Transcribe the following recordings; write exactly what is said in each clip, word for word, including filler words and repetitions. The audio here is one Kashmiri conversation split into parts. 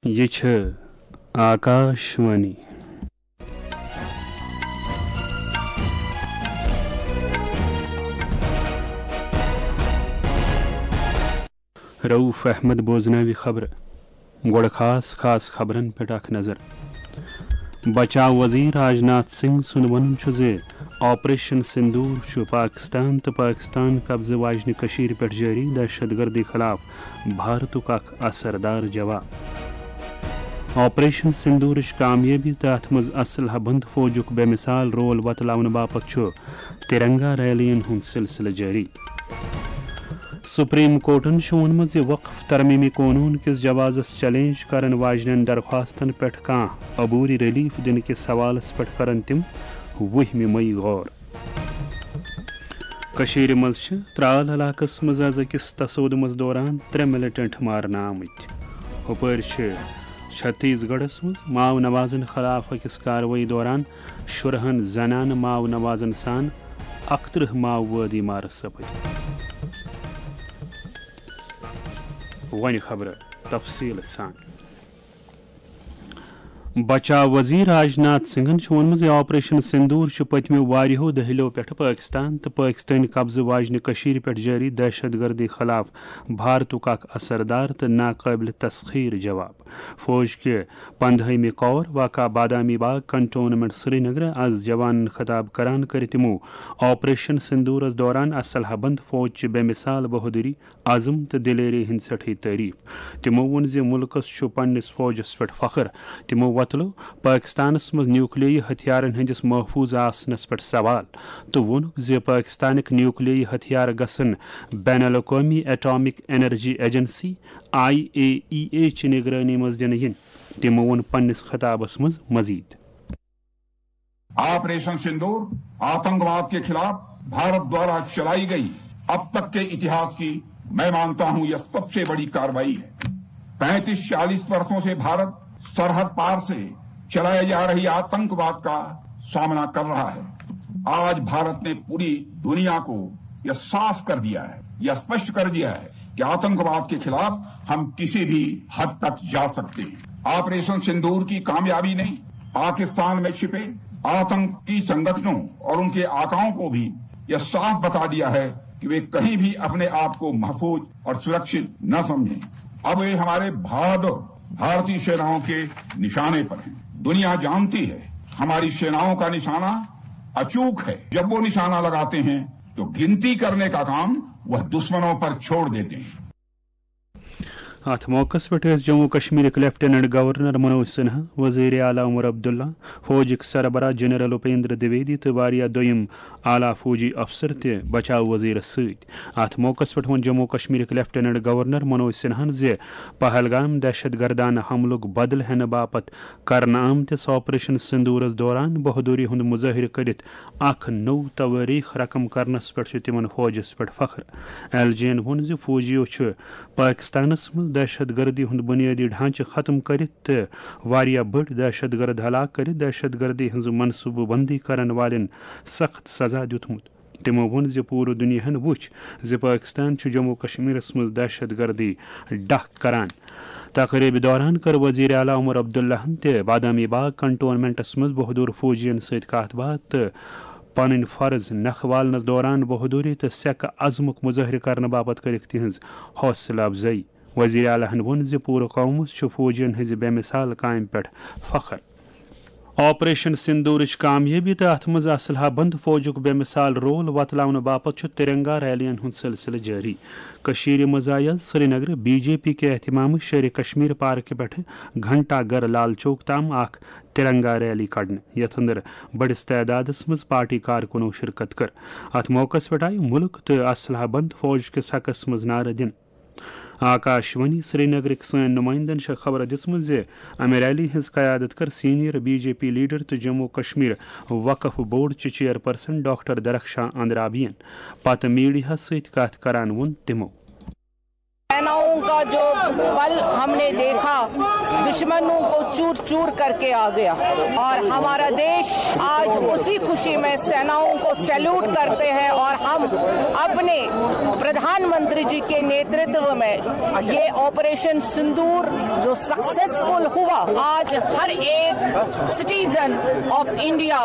یہِ چھِ آکاشوانی۔ رؤف احمد بوزناوِ خبرٕ۔ گۄڈٕ خاص خاص خبرن پٮ۪ٹھ اکھ نظر۔ بچاو وزیر راج ناتھ سنگھ سُنٛد وَنُن چھُ زِ آپریشن سندور چھُ پاکستان تہٕ پاکستان قبضہٕ واجنہِ کٔشیٖرِ پٮ۪ٹھ جٲری دہشت گردی خلاف بھارتُک اکھ اثردار جواب۔ آپریشن سندورٕچ کامیٲبی تہٕ اتھ منٛز اسلحہ بند فوجُک بے مثال رول وۄتلاونہٕ باپتھ چھُ ترنگا ریلیَن ہُنٛد سلسلہٕ جٲری۔ سپریم کورٹَن چھُ ووٚنمُت زِ وقف ترمیمی قونوٗن کِس جوازَس چیلنج کرن واجنٮ۪ن درخواستَن پٮ۪ٹھ کانٛہہ عبوری ریلیف دِنہٕ کِس سوالَس پٮ۪ٹھ کرن تِم وُہمہِ مئی غور۔ کٔشیٖرِ منٛز چھِ ترال علاقَس منٛز آز أکِس تصادمَس دوران ترٛےٚ ملیٹنٹ مارنہٕ آمٕتۍ۔ ہُپٲرۍ چھِ چھتیس گڑھس منٛز ماو نوازن خلاف أکِس کاروٲیی دوران شُرہن زنانہٕ ماو نوازن سان اکترٕہ ماووٲدی مارٕ سپٕدۍ۔ وۄنۍ خبرٕ تفصیٖل سان۔ بچاو وزیر راج ناتھ سنگھن چھُ ووٚنمُت زِ آپریشن سندور چھُ پٔتمیو واریاہو دٔہلِیو پٮ۪ٹھٕ پٲکستان تہٕ پٲکستٲنۍ قبضہٕ واجنہِ کٔشیٖرِ پٮ۪ٹھ جٲری دہشت گردی خلاف بھارتُک اکھ اثردار تہٕ ناقٲبلِ تسخیر جواب۔ فوج کہِ پندہٲیمہِ کور واقع بادامی باغ کنٹونمنٹ سرینگر از جوانن خطاب کران کٔر تِمو آپریشن سندورس دوران اسلحہ بند فوج چہِ بے مثال بہادری، عزم تہٕ دلیری ہٕنٛز سٮ۪ٹھٕے تعریف۔ تِمو ووٚن زِ مُلکس چھُ پننِس فوجس پٮ۪ٹھ فخر۔ تِمو وۄتلٲو پٲکستانس منٛز نیوکلیٲیی ہتھیارن ہٕنٛدِس محفوٗظ آسنس پٮ۪ٹھ سوال تہٕ ووٚنُکھ زِ پٲکستانٕکۍ نیوکلیٲیی ہتھیار گژھن بین الاقوٲمی atomic energy agency, I A E A, چہِ نگرٲنی منٛز دِنہٕ یِنۍ۔ تِمو ووٚن پننِس خطابس منٛز مزید۔ آپریشن سندور آتنکواد کے خلاف بھارت دوارا چلائی گئی اب تک کے اتہاس کی، میں مانتا ہوں، یہ سب سے بڑی کارروائی ہے۔ پینتیس چالیس برسوں سے بھارت سرحد پار سے چلائے جا رہی آتنکواد کا سامنا کر رہا ہے۔ آج بھارت نے پوری دنیا کو یہ صاف کر دیا ہے، یہ اسپشٹ کر دیا ہے کہ آتنکواد کے خلاف ہم کسی بھی حد تک جا سکتے ہیں۔ آپریشن سندور کی کامیابی نے پاکستان میں چھپے آتنکی سنگٹھنوں اور ان کے آقاؤں کو بھی یہ صاف بتا دیا ہے کہ वे कहीं भी अपने आप को महफूज और सुरक्षित न समझें। अब वे हमारे बहादुर भारतीय सेनाओं के निशाने पर हैं। दुनिया जानती है हमारी सेनाओं का निशाना अचूक है। जब वो निशाना लगाते हैं तो गिनती करने का काम वह दुश्मनों पर छोड़ देते हैं। اتھ موقعس پٮ۪ٹھ ٲسۍ جموں کشمیرٕکۍ لیفٹیننٹ گورنر منوج سنہا، وزیر اعلیٰ عمر عبداللہ، فوجٕکۍ سربراہ جنرل اپیندر دویدی تہٕ واریاہ دوٚیِم اعلیٰ فوجی افسر تہِ بچاو وزیرس سۭتۍ۔ اتھ موقعس پٮ۪ٹھ ووٚن جموں کشمیرٕکۍ لیفٹیننٹ گورنر منوج سنہاہن زِ پہلگام دہشت گردانہٕ حملُک بدلہٕ ہٮ۪نہٕ باپتھ کرنہٕ آمتِس آپریشن سندورس دوران بہادری ہُنٛد مظٲہرٕ کٔرِتھ اکھ نوٚو توٲریخ رقم کرنس پٮ۪ٹھ چھُ تِمن فوجس پٮ۪ٹھ فخر۔ ایل جی ین ووٚن زِ فوجیو چھُ پٲکستانس منٛز دہشت گردی ہُنٛد بنیٲدی ڈھانچہٕ ختم کٔرِتھ تہٕ واریاہ بٔڑۍ دہشت گرد ہلاک کٔرِتھ دہشت گردی ہٕنٛز منصوٗبہٕ بندی کرن والٮ۪ن سخت سزا دیُتمُت۔ تِمو ووٚن زِ پوٗرٕ دُنیاہَن وُچھ زِ پٲکِستان چھُ جموں کشمیرَس منٛز دہشت گردی ڈَکھ کران۔ تقریٖبہِ دوران کٔر وزیر اعلیٰ عمر عبداللہَن تہِ بادامی باغ کنٹونمنٹَس منٛز بہادُر فوجیَن سۭتۍ کَتھ باتھ تہٕ پنٕنۍ فرض نکھٕ والنَس دوران بہادُری تہٕ سیٚکہٕ عزمُک مظٲہرٕ کرنہٕ باپتھ کٔرٕکھ تِہنٛز حوصلہٕ افزٲیی۔ وزیر اعلیٰ ہَن ووٚن زِ پوٗرٕ قومَس چھُ فوجیَن ہٕنٛزِ بے مثال کامہِ پٮ۪ٹھ فخر۔ آپریشن سندورٕچ کامیٲبی تہٕ اتھ منٛز اسلحہ بند فوجُک بے مثال رول وۄتلاونہٕ باپتھ چھُ ترنگا ریلیَن ہُنٛد سلسلہٕ جٲری۔ کٔشیٖرِ منٛز آیہِ آز سرینگرٕ بی جے پی کہِ اہتمامہٕ شیرِ کشمیر پارکہِ پٮ۪ٹھٕ گھنٹا گھر لال چوک تام اکھ ترنگا ریلی کڑنہٕ، یتھ اندر بٔڑِس تعدادَس منٛز پارٹی کارکُنو شرکت کٔر۔ اتھ موقعَس پٮ۪ٹھ آیہِ مُلک تہٕ اسلحہ بند فوج کِس حقَس منٛز نعرٕ دِنہٕ۔ آکاشوانی سرینگرٕکۍ سٲنۍ نُمٲیندَن چھےٚ خبر دِژمٕژ زِ امہِ ریلی ہٕنٛز قیادت کٔر senior B J P leader تہٕ جموں کشمیر وقف بورڈ چہِ چیئرپرسن ڈاکٹر درخشاں اندرابیَن۔ پتہٕ میڈیاہَس سۭتۍ کتھ کران ووٚن تِمو۔ सेनाओं का जो बल हमने देखा, दुश्मन दुश्मनों को चूर चूर करके आ गया। और हमारा देश आज उसी खुशी में सेनाओं को सैल्यूट करते हैं और हम अपने प्रधानमंत्री जी के नेतृत्व में ये ऑपरेशन सिंदूर जो सक्सेसफुल हुआ, आज हर एक सिटीजन ऑफ इंडिया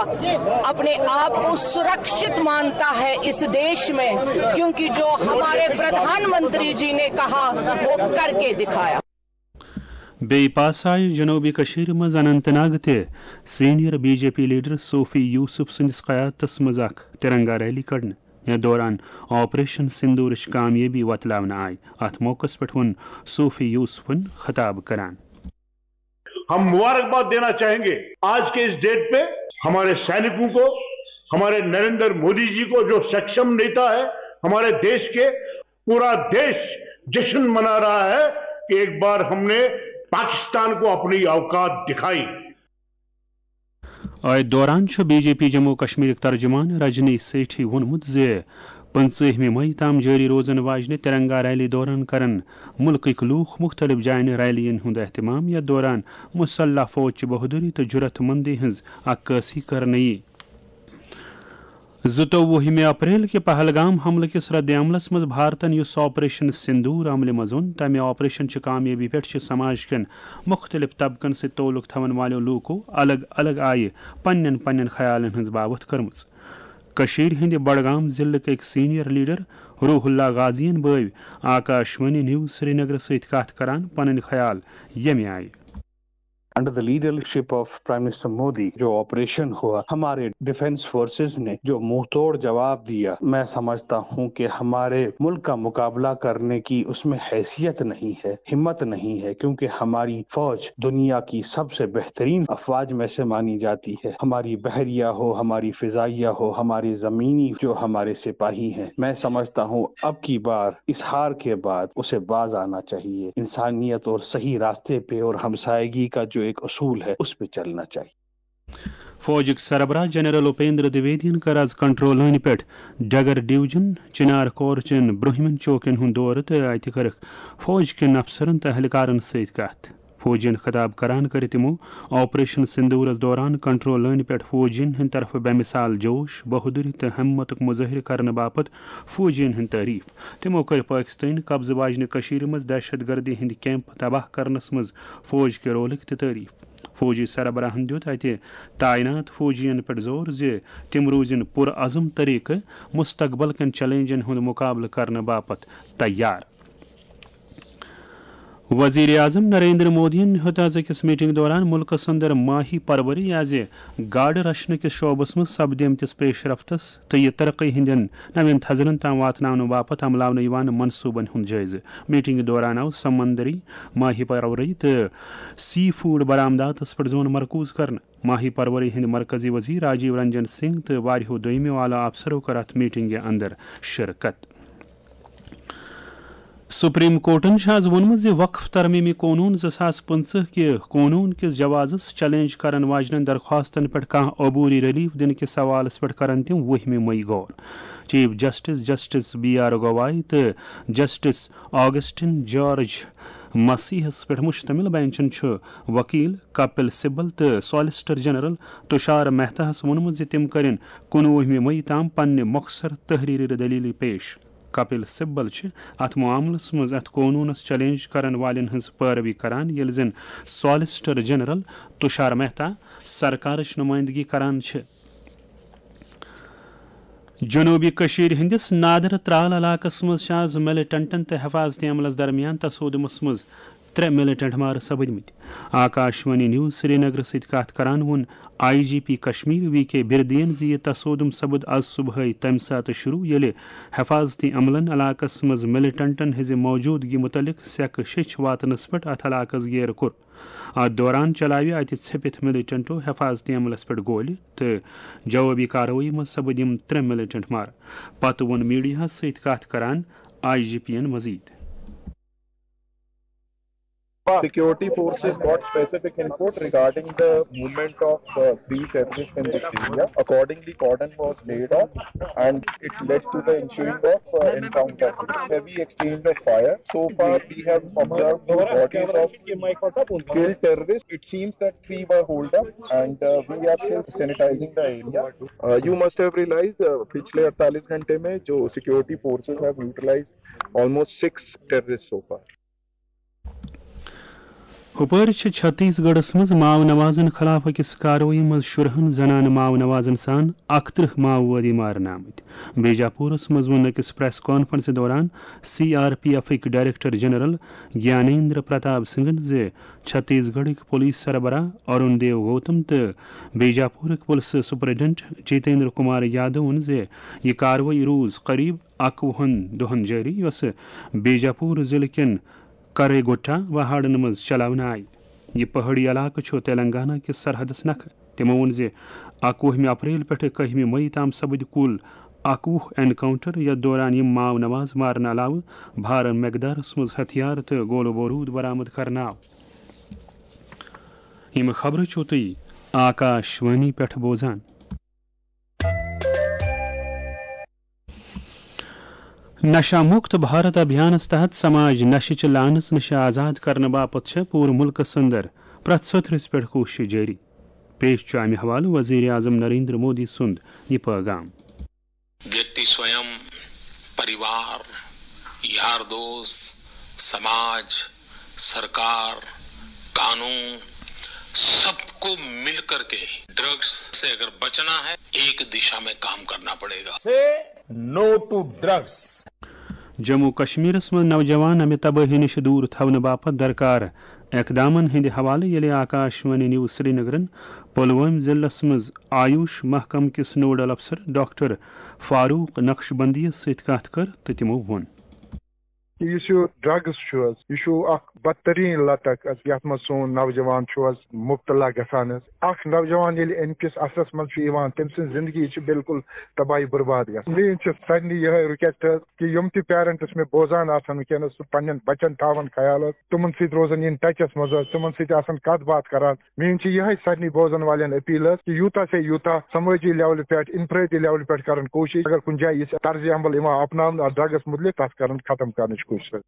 अपने आप को सुरक्षित मानता है इस देश में, क्योंकि जो हमारे प्रधानमंत्री जी ने कहा, वो करके दिखाया। بیٚیہِ پاسہٕ آیہِ جنوبی کٔشیٖرِ منٛز اننت ناگ تہِ senior B J P leader Sofi Yousuf سٕنٛدِس قیادتس منٛز اکھ ترنگا ریلی کڑنہٕ۔ یتھ دوران آپریشن سندورٕچ کامیٲبی وۄتلاونہٕ آیہِ۔ اتھ موقعس پٮ۪ٹھ ووٚن صوفی یوسفن خطاب کران۔ ہم مبارکباد دینا چاہیں گے آج کے اس ڈیٹ پہ ہمارے سینکوں کو، ہمارے نریندر مودی جی کو، جو سکشم نیتا ہے ہمارے دیش کے۔ پورا دیش جشن منا رہا ہے کہ ایک بار ہم نے پاکستان کو اپنی اوقات دکھائی۔ أتھۍ دوران چھُ بی جے پی جموں کشمیرٕکۍ ترجمان رجنی سیٹھی ووٚنمُت زِ پٕنٛژٕہمہِ مئی تام جٲری روزن واجنہِ ترنگا ریلی دوران کرن مُلکٕکۍ لوٗکھ مُختٔلِف جاین ریلیَن ہُنٛد اہتمام، یَتھ دوران مسلح فوج چہِ بہادری تہٕ جرات مندی ہٕنٛز عکٲسی کرنہٕ یِیہِ۔ زٕتووُہمہِ اپریل کہِ پہلگام حملہٕ کِس رد عملس منٛز بھارتن یُس آپریشن سندور عملہِ منٛز اوٚن، تمہِ آپریشن چہِ کامیٲبی پٮ۪ٹھ چھِ سماج کٮ۪ن مُختٔلِف طبقن سۭتۍ تعلق تھاون والٮ۪و لوٗکو الگ الگ آیہِ پننٮ۪ن پننٮ۪ن خیالن ہٕنٛز باوتھ کٔرمٕژ۔ کٔشیٖرِ ہٕنٛدِ بڈگام ضلعٕکۍ أکۍ سینئر لیڈر روح اللہ غازین بٲوۍ آکاشوانی نیوز سرینگرٕ سۭتۍ کتھ کران پنٕنۍ خیال ییٚمہِ آیہِ۔ Under the leadership of Prime Minister Modi جو آپریشن ہوا، ہمارے ڈیفنس فورسز نے جو منہ توڑ جواب دیا، میں سمجھتا ہوں کہ ہمارے ملک کا مقابلہ کرنے کی اس میں حیثیت نہیں ہے، ہمت نہیں ہے، کیونکہ ہماری فوج دنیا کی سب سے بہترین افواج میں سے مانی جاتی ہے۔ ہماری بحریہ ہو، ہماری فضائیہ ہو، ہماری زمینی جو ہمارے سپاہی ہیں، میں سمجھتا ہوں اب کی بار اس ہار کے بعد اسے باز آنا چاہیے، انسانیت اور صحیح راستے پہ اور ہمسائیگی کا جو ایک اصول ہے اس پہ چلنا چاہیے۔ فوجٕکۍ سربراہ جنرل اپیندر دویدین کٔر از کنٹرول لٲنہِ پٮ۪ٹھ ڈگر ڈویژن چنار کور چٮ۪ن برٛونٛہمٮ۪ن چوکن ہُنٛد دورٕ تہٕ اتہِ کٔرٕکھ فوج کٮ۪ن افسرن تہٕ اہلکارن سۭتۍ کتھ۔ فوجین خطاب کران کٔر تِمو آپریشن سندورس دوران کنٹرول لٲنہِ پٮ۪ٹھ فوجین ہٕنٛدِ طرفہٕ بے مثال جوش، بہادری تہٕ ہمتُک مظٲہرٕ کرنہٕ باپتھ فوجین ہٕنٛز تعریف۔ تِمو کٔر پٲکستٲنۍ قبضہٕ واجنہِ کٔشیٖرِ منٛز دہشت گردی ہٕنٛدۍ کیمپ تباہ کرنس منٛز فوج کہِ رولٕکۍ تہِ تعریف۔ فوجی سربراہن دیُت اتہِ تعینات فوجین پٮ۪ٹھ زور زِ تِم روٗزِن پُرعزم طریقہٕ مستقبل کٮ۪ن چیلنجن ہُنٛد مقابلہٕ کرنہٕ باپتھ تیار۔ وزیر اعظم نریندر مودیَن ہیوٚت از أکِس میٹنگ دوران مُلکَس اندر ماہی پروری یازِ گاڈٕ رچھنہٕ کِس شعبس منٛز سپدیمتِس پیش رفتس تہٕ یہِ ترقی ہٕنٛدٮ۪ن نوٮ۪ن تھزرن تام واتناونہٕ باپتھ عملاونہٕ یِوان منصوبن ہُنٛد جٲیزٕ۔ میٹنگہِ دوران آو سمندری ماہی پروری تہٕ سی فوڈ برآمداتس پٮ۪ٹھ زون مرکوز کرنہٕ۔ ماہی پروری ہٕنٛدۍ مرکزی وزیر راجیو رنجن سنگھ تہٕ واریاہو دوٚیمو اعلیٰ افسرو کٔر اتھ میٹنگہِ اندر شرکت۔ سپریم کورٹن چھُ از ووٚنمُت زِ وقف ترمیمی قونون زٕ ساس پٕنٛژٕہ کہِ قونون کِس جوازس چیلنج کرن واجنٮ۪ن درخواستن پٮ۪ٹھ کانٛہہ عبوری ریلیف دِنہٕ کِس سوالس پٮ۪ٹھ کرن تِم وُہمہِ مئی غور۔ Chief justice justice B R Gavai تہٕ جسٹس آگسٹن جارج مسیحس پٮ۪ٹھ مشتمل بینچن چھُ وکیل کپل سبل تہٕ سالیسٹر جنرل تشار مہتاہس ووٚنمُت زِ تِم کرن کُنوُہمہِ مئی تام پننہِ مۄخصر تحریری دلیلہٕ پیش۔ کپل سبل چھِ اتھ معاملس منٛز اتھ قونوٗنس چیلنج کرن والٮ۪ن ہٕنٛز پٲروی کران، ییٚلہِ زن سالیسٹر جنرل تشار مہتا سرکارٕچ نمائندگی کران چھِ۔ جنوبی کٔشیٖرِ ہٕنٛدِس نادر ترال علاقس منٛز چھِ از ملیٹنٹن تہٕ حفاظتی عملس درمیان تصادمس منٛز ترٛےٚ ملیٹنٹ مارٕ سپٕدمٕتۍ۔ آکاشوانی نیوز سرینگرٕ سۭتۍ کتھ کران ووٚن I G P Kashmir V K بردین زِ یہِ تصادم سپُد از صبحٲے تمہِ ساتہٕ شروع، ییٚلہِ حفاظتی عملن علاقس منٛز ملیٹنٹن ہٕنٛزِ موجودگی متعلق سیکہٕ شیٚچھ واتنس پٮ۪ٹھ اتھ علاقس گیرٕ کوٚر۔ اتھ دوران چلاوِ اتہِ ژھیٚپِتھ ملیٹنٹو حفاظتی عملس پٮ۪ٹھ گولہِ تہٕ جوابی کاروٲیی منٛز سپٕدۍ یِم ترٛےٚ ملیٹنٹ مارٕ۔ پتہٕ ووٚن میڈیاہس سۭتۍ کتھ کران آئی جی پی ین مزید۔ Security forces got specific input regarding the movement of uh, three terrorists in this area. Accordingly, cordon was laid off and it led to the ensuing of uh, encounter. Heavy exchange of fire. So far, we have observed the bodies of killed terrorists. It seems that three were holed up and uh, we are still sanitizing the area. Uh, you must have realized uh, पिछले अड़तालीस घंटे में जो security forces have neutralized almost six terrorists so far. ہُپٲرۍ چھِ چھتیس گڑھس منٛز ماو نوازن خلاف أکِس کاروٲیی منٛز شُرہن زنانہٕ ماو نوازن سان اکترٕہ ماووٲدی مارنہٕ آمٕتۍ۔ بیجاپورس منٛز ووٚن أکِس پریس کانفرنسہِ دوران سی آر پی ایفٕکۍ ڈائریکٹر جنرل گیانیندر پرتاپ سنگھن زِ چھتیس گڑھٕکۍ پولیس سربراہ ارون دیو گوتم تہٕ بیجاپورٕکۍ پُلسہٕ سپرنٹنڈنٹ جیتیندر کمار یادوَن زِ یہِ کاروٲیی روٗز قریب اَکوُہَن دۄہَن جٲری، یۄسہٕ بیجاپور ضلعہٕ کٮ۪ن کریگوٹا واہاڑن منٛز چلاونہٕ آیہِ۔ یہِ پہٲڑی علاقہٕ چھُ تلنگانہ کِس سرحدَس نکھٕ۔ تِمَو ووٚن زِ اَکوُہمہِ اپریل پٮ۪ٹھٕ کٔہمہِ مئی تام سپٕدۍ کُل اَکوُہ اینکاؤنٹر، یَتھ دوران یِم ماو نواز مارنہٕ علاوٕ بھارٕ مقدارَس منٛز ہتھیار تہٕ گولہٕ بوروٗد برآمد کرنہٕ آو۔ یِم خبرٕ چھِو تُہۍ آکاش وانی پٮ۪ٹھ بوزان۔ نشہ مکت بھارت ابھیانس تحت سماج نشہٕ چہِ لعنژ نِش آزاد کرنہٕ باپتھ چھےٚ پوٗرٕ مُلکس اندر پرٛٮ۪تھ سوٚتھرِس پٮ۪ٹھ کوٗشش جٲری۔ پیش چھُ امہِ حوالہٕ وزیر اعظم نریندر مودی سُنٛد یہِ پٲغام۔ व्यक्ति स्वयं, परिवार, यार दोस्त, समाज, सरकार, कानून, सबको मिलकर के ड्रग्स से अगर बचना है, एक दिशा में काम करना पड़ेगा। Say no to drugs. Jammu کشمیرس منٛز نوجوان امہِ تبٲہی نِش دوٗر تھاونہٕ باپتھ درکار اقدامن ہٕنٛدِ حوالہٕ ییٚلہِ آکاش وانی نیوز سرینگرن پلوٲمۍ ضلعس منٛز آیوش محکمہٕ کِس نوڈل افسر ڈاکٹر فاروق نقشبندیَس سۭتۍ کتھ کٔر تہٕ تِمو ووٚن۔ یُس یہِ ڈرگس چھُ حظ، یہِ چھُ اکھ بدترین لتک حظ، یتھ منٛز سون نوجوان چھُ حظ مبتلا گژھان حظ۔ اکھ نوجوان ییٚلہِ امہِ کِس اثرس منٛز چھُ یِوان، تٔمۍ سٕنٛز زندگی چھِ بالکل تباہی برباد گژھان۔ میٲنۍ چھِ سارنٕے یِہے request حظ کہِ یِم تہِ parents مےٚ بوزان آسن وٕنکیٚنس، سُہ پننٮ۪ن بچن تھاون خیال حظ، تِمن سۭتۍ روزن in touchس منٛز حظ، تِمن سۭتۍ آسن کتھ باتھ کران۔ میٲنۍ چھِ یِہے سارنٕے بوزن والٮ۪ن appeal حظ کہِ یوٗتاہ سے یوٗتاہ سمٲجی levelہِ پٮ۪ٹھ، انفرٲدی levelہِ پٮ۪ٹھ کرن کوٗشش، اگر کُنہِ جایہِ یہِ طرزِ عمل یِوان اپناونہٕ اتھ ڈرگس متعلق، تتھ کرن ختم کرنٕچ کوٗشش حظ۔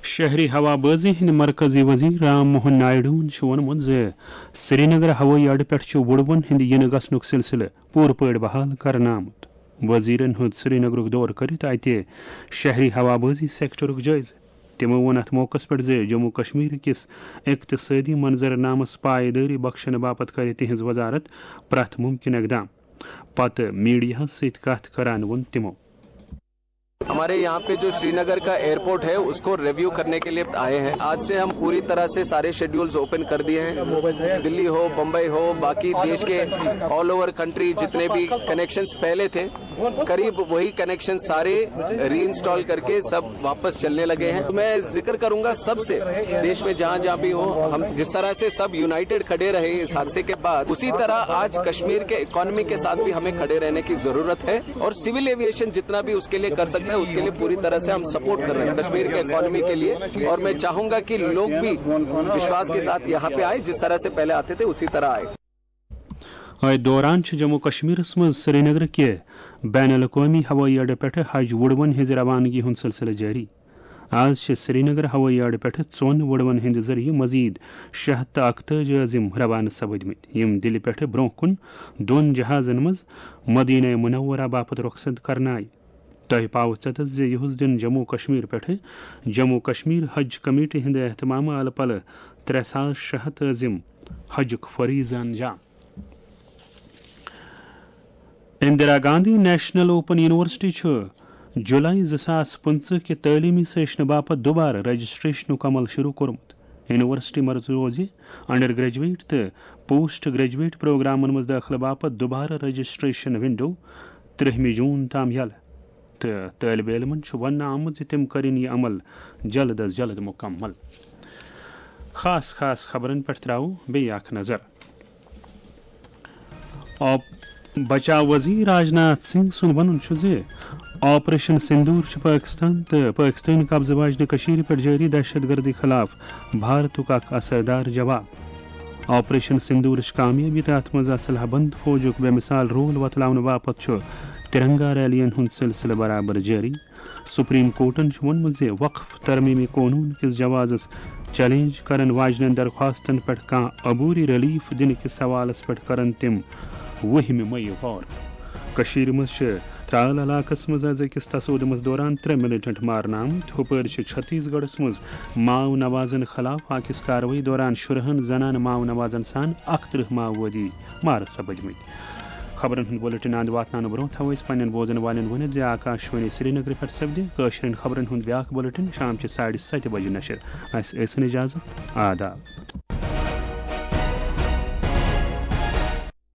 شہری ہوا بازی ہٕنٛدۍ مرکزی وزیر رام موہن نائیڈوَن چھُ ووٚنمُت زِ سرینگر ہوٲیی اڈٕ پٮ۪ٹھ چھُ وُڑوَن ہٕنٛدِ یِنہٕ گژھنُک سلسلہٕ پوٗرٕ پٲٹھۍ بحال کرنہٕ آمُت۔ وزیرن ہیوٚت سرینگرُک دورٕ کٔرِتھ اتہِ شہری ہوا بازی سیکٹرُک جٲیزٕ۔ تِمو ووٚن اتھ موقعس پٮ۪ٹھ زِ جموں کشمیر کِس اقتصٲدی منظرنامس پایدٲری بخشنہٕ باپتھ کرِ تِہنٛز وزارت پرٛٮ۪تھ مُمکِن اقدام۔ پتہٕ میڈیاہَس سۭتۍ کتھ کران ووٚن تِمو۔ हमारे यहाँ पे जो श्रीनगर का एयरपोर्ट है, उसको रिव्यू करने के लिए आए हैं। आज से हम पूरी तरह से सारे शेड्यूल्स ओपन कर दिए हैं। दिल्ली हो, बम्बई हो, बाकी देश के all over country जितने भी कनेक्शंस पहले थे, करीब वही कनेक्शन सारे रीइंस्टॉल करके सब वापस चलने लगे हैं। तो मैं जिक्र करूंगा सबसे, देश में जहां जहां भी हो, हम जिस तरह से सब यूनाइटेड खड़े रहे इस हादसे के बाद, उसी तरह आज कश्मीर के इकोनॉमी के साथ भी हमें खड़े रहने की जरूरत है। और सिविल एविएशन जितना भी उसके लिए कर सकता है, उसके लिए पूरी तरह से हम सपोर्ट कर रहे हैं कश्मीर के इकोनॉमी के लिए। और मैं चाहूंगा कि लोग भी विश्वास के साथ यहाँ पे आए, जिस तरह से पहले आते थे उसी तरह आए। أتھۍ دوران چھُ جموں کشمیرس منٛز سرینگر کہِ بین الاقوٲمی ہوٲیی اڈٕ پٮ۪ٹھٕ حج وُڑوَن ہٕنٛزِ روانگی ہُنٛد سلسلہٕ جٲری۔ آز چھِ سرینگر ہوٲیی اڈٕ پٮ۪ٹھٕ ژۄن وُڑوَن ہٕنٛدِ ذٔریعہٕ مزید شےٚ ہَتھ تہٕ اَکتٲجی عازم روانہٕ سپٕدمٕتۍ، یِم دِلہِ پٮ۪ٹھٕ برٛونٛہہ کُن دۄن جہازن منٛز مدینہ منورہ باپتھ رۄخصت کرنہٕ آیہِ۔ تۄہہِ پاوٕ ژٮ۪تس زِ یُہُس دِن جموں کشمیر پٮ۪ٹھٕ جموں کشمیر حج کمیٹی ہٕنٛدِ اہتمامہٕ الہٕ پلہٕ ترٛےٚ ساس شےٚ ہَتھ عازم حجُک فریضہٕ انجام۔ Indira Gandhi national open university چھُ جولائی زٕ ساس پٕنٛژٕہ کہِ تعلیمی سیشنہٕ باپتھ دوبارٕ رجسٹریشنُک عمل شروع کوٚرمُت۔ یونیورسٹی منٛز روزِ انڈر گریجویٹ تہٕ پوسٹ گریجویٹ پروگرامن منٛز دٲخلہٕ باپتھ دوبارٕ رجسٹریشن ونڈو ترٛہمہِ جون تام یلہٕ، تہٕ طٲلبہِ علمن چھُ وننہٕ آمُت زِ تِم کٔرِن یہِ عمل جلد از جلد مُکمل۔ خاص خاص خبرن پٮ۪ٹھ ترٛاوو بیٚیہِ اکھ نظر۔ آب بچاو وزیر راجناتھ سنگھ سُنٛد ونُن چھُ زِ آپریشن سندور چھُ پٲکستان تہٕ پٲکستٲنۍ قبضہٕ واجنہِ کٔشیٖرِ پٮ۪ٹھ جٲری دہشت گردی خلاف بھارتُک اکھ اثردار جواب۔ آپریشن سندورٕچ کامیٲبی تہٕ اتھ منٛز اسلحہ بند فوجُک بے مثال رول وۄتلاونہٕ باپتھ چھُ ترنگا ریلین ہُنٛد سلسلہٕ برابر جٲری۔ سپریم کورٹن چھُ ووٚنمُت زِ وقف ترمیمی قونوٗن کِس جوازس چیلنج کرن واجنٮ۪ن درخواستن پٮ۪ٹھ کانٛہہ عبوری ریلیف دِنہٕ کِس سوالس پٮ۪ٹھ کرن تِم وُہمہِ مئی غور۔ کٔشیٖرِ منٛز چھِ ترال علاقس منٛز از أکِس تصادمس دوران ترٛےٚ ملیٹنٹ مارنہٕ آمٕتۍ۔ ہُپٲرۍ چھِ چھتیس گڑھس منٛز ماو نوازن خلاف أکِس کاروٲیی دوران شُرہن زنانہٕ ماو نوازن سان اکترٕہ ماووٲدی مارٕ سپٕدمٕتۍ۔ خبرن ہُنٛد بُلٹن اند واتناونہٕ برونٛہہ تھاوو أسۍ پننٮ۪ن بوزن والٮ۪ن ؤنِتھ زِ آکاشوانی سرینگرٕ پٮ۪ٹھ سپدِ کٲشرٮ۪ن خبرن ہُنٛد بیاکھ بُلٹن شام چہِ ساڑِ ستہِ بجہِ نشر۔ اسہِ ٲسِن اجازت۔ آداب۔